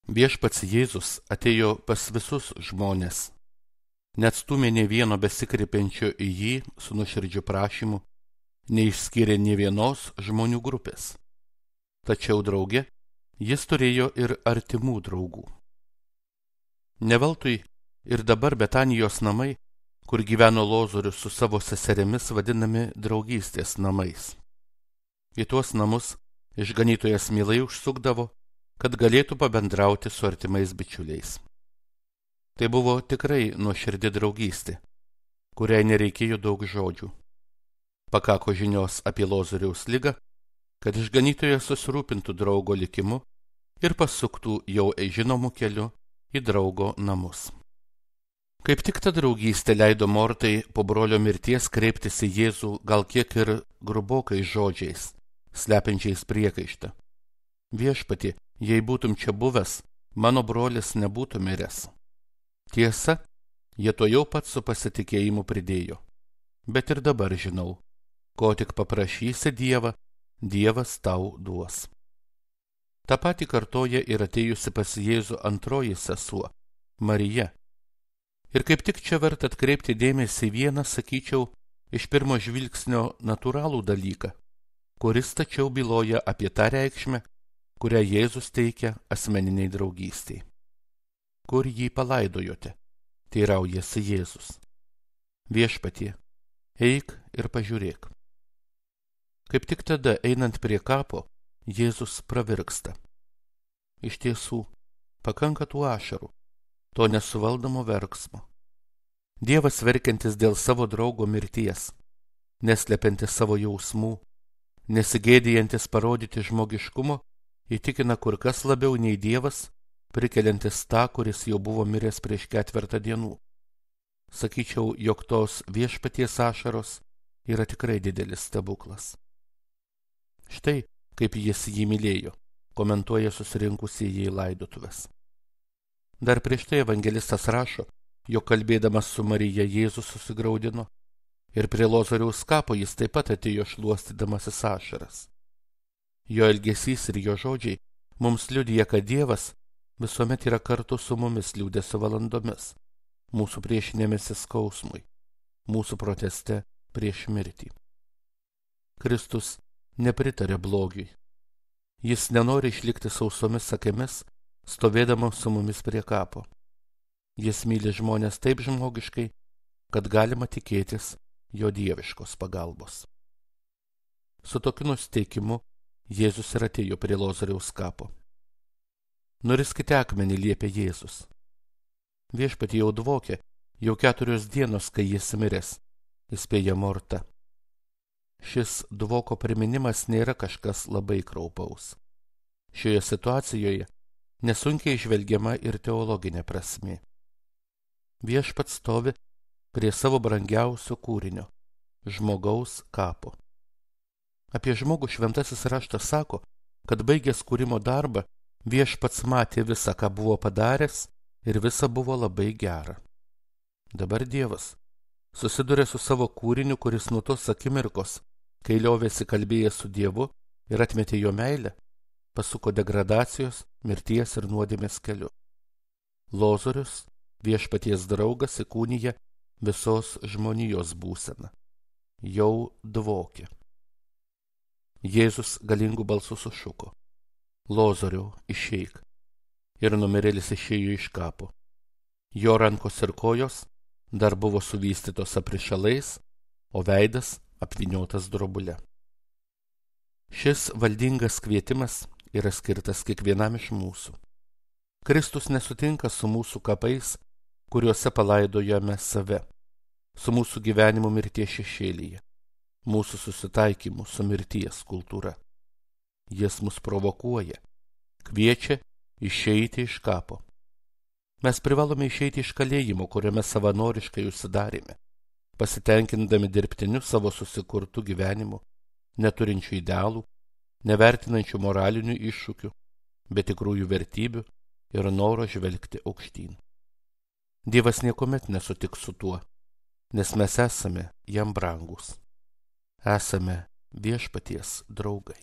Viešpats Jėzus atėjo pas visus žmones, neatstūmė nė vieno besikreipiančio į jį su nuoširdžiu prašymu, neišskyrė nė vienos žmonių grupės. Tačiau drauge jis turėjo ir artimų draugų. Neveltui ir dabar Betanijos namai, kur gyveno Lozorius su savo seserimis, vadinami draugystės namais. Į tuos namus išganytojas mielai užsukdavo, kad galėtų pabendrauti su artimais bičiuliais. Tai buvo tikrai nuoširdi draugystė, kuriai nereikėjo daug žodžių. Pakako žinios apie Lozoriaus ligą, kad išganytojas susirūpintų draugo likimu ir pasuktų jau žinomų keliu į draugo namus. Kaip tik ta draugystė leido Mortai po brolio mirties kreiptis į Jėzų gal kiek ir grubokais žodžiais, slepiančiais priekaištą. Viešpatie, jei būtum čia buvęs, mano brolis nebūtų miręs. Tiesa, jie to jau pat su pasitikėjimu pridėjo. Bet ir dabar žinau, ko tik paprašysi Dievą, Dievas tau duos. Ta pati kartoja ir atėjusi pas Jėzų antroji sesuo, Marija. Ir kaip tik čia verta atkreipti dėmesį vieną, sakyčiau, iš pirmo žvilgsnio natūralų dalyką, kuris tačiau byloja apie tą reikšmę, kurią Jėzus teikia asmeniniai draugystiai. Kur jį palaidojote? Teiraujasi Jėzus. Viešpatie, eik ir pažiūrėk. Kaip tik tada, einant prie kapo, Jėzus pravirksta. Iš tiesų, pakanka tų ašarų, to nesuvaldomo verksmo. Dievas verkiantis dėl savo draugo mirties, neslepiantis savo jausmų, nesigėdijantis parodyti žmogiškumo, įtikina kur kas labiau nei Dievas, prikeliantis tą, kuris jau buvo miręs prieš 4 dienų. Sakyčiau, jog tos viešpaties ašaros yra tikrai didelis stebuklas. Štai, kaip jis jį mylėjo, komentuoja susirinkusieji į laidotuves. Dar prieš tai evangelistas rašo, jog kalbėdamas su Marija Jėzus susigraudino, ir prie Lozoriaus kapo jis taip pat atėjo šluostydamasis ašaras. Jo elgesys ir jo žodžiai mums liudija, kad Dievas visuomet yra kartu su mumis liūdesio valandomis, mūsų priešinėmėsi skausmui, mūsų proteste prieš mirtį. Kristus nepritarė blogiui. Jis nenori išlikti sausomis akimis, stovėdamas su mumis prie kapo. Jis myli žmonės taip žmogiškai, kad galima tikėtis jo dieviškos pagalbos. Su tokiu nusiteikimu Jėzus ir atėjo prie Lozoriaus kapo. Nuriskite akmenį, liepė Jėzus. Viešpatie jau dvokė, jau 4 dienos, kai jis miręs, įspėja Morta. Šis dvoko priminimas nėra kažkas labai kraupaus. Šioje situacijoje nesunkiai žvelgiama ir teologinė prasmė. Viešpats stovi prie savo brangiausio kūrinio – žmogaus kapo. Apie žmogų šventasis raštas sako, kad baigęs kūrimo darbą Viešpats matė visą, ką buvo padaręs, ir visa buvo labai gera. Dabar Dievas susiduria su savo kūriniu, kuris nuo tos akimirkos, kai liovėsi kalbėjęs su Dievu ir atmetė jo meilę, pasuko degradacijos, mirties ir nuodėmės keliu. Lozorius, Viešpaties draugas, įkūnija visos žmonijos būseną. Jau dvokė. Jėzus galingų balsų sušuko: Lozoriau, išeik. Ir numirėlis išėjo iš kapo. Jo rankos ir kojos dar buvo suvystytos aprišalais, o veidas apvyniotas drobule. Šis valdingas kvietimas yra skirtas kiekvienam iš mūsų. Kristus nesutinka su mūsų kapais, kuriuose palaidojame save, su mūsų gyvenimu mirties šešėlyje, mūsų susitaikymu su mirties kultūra. Jis mus provokuoja, kviečia išeiti iš kapo. Mes privalome išeiti iš kalėjimo, kuriame savanoriškai užsidarėme, pasitenkindami dirbtiniu savo susikurtų gyvenimu, neturinčių idealų, nevertinančių moralinių iššūkių, bet tikrųjų vertybių ir noro žvelgti aukštyn. Dievas niekuomet nesutiks su tuo, nes mes esame jam brangūs. Esame Viešpaties draugai.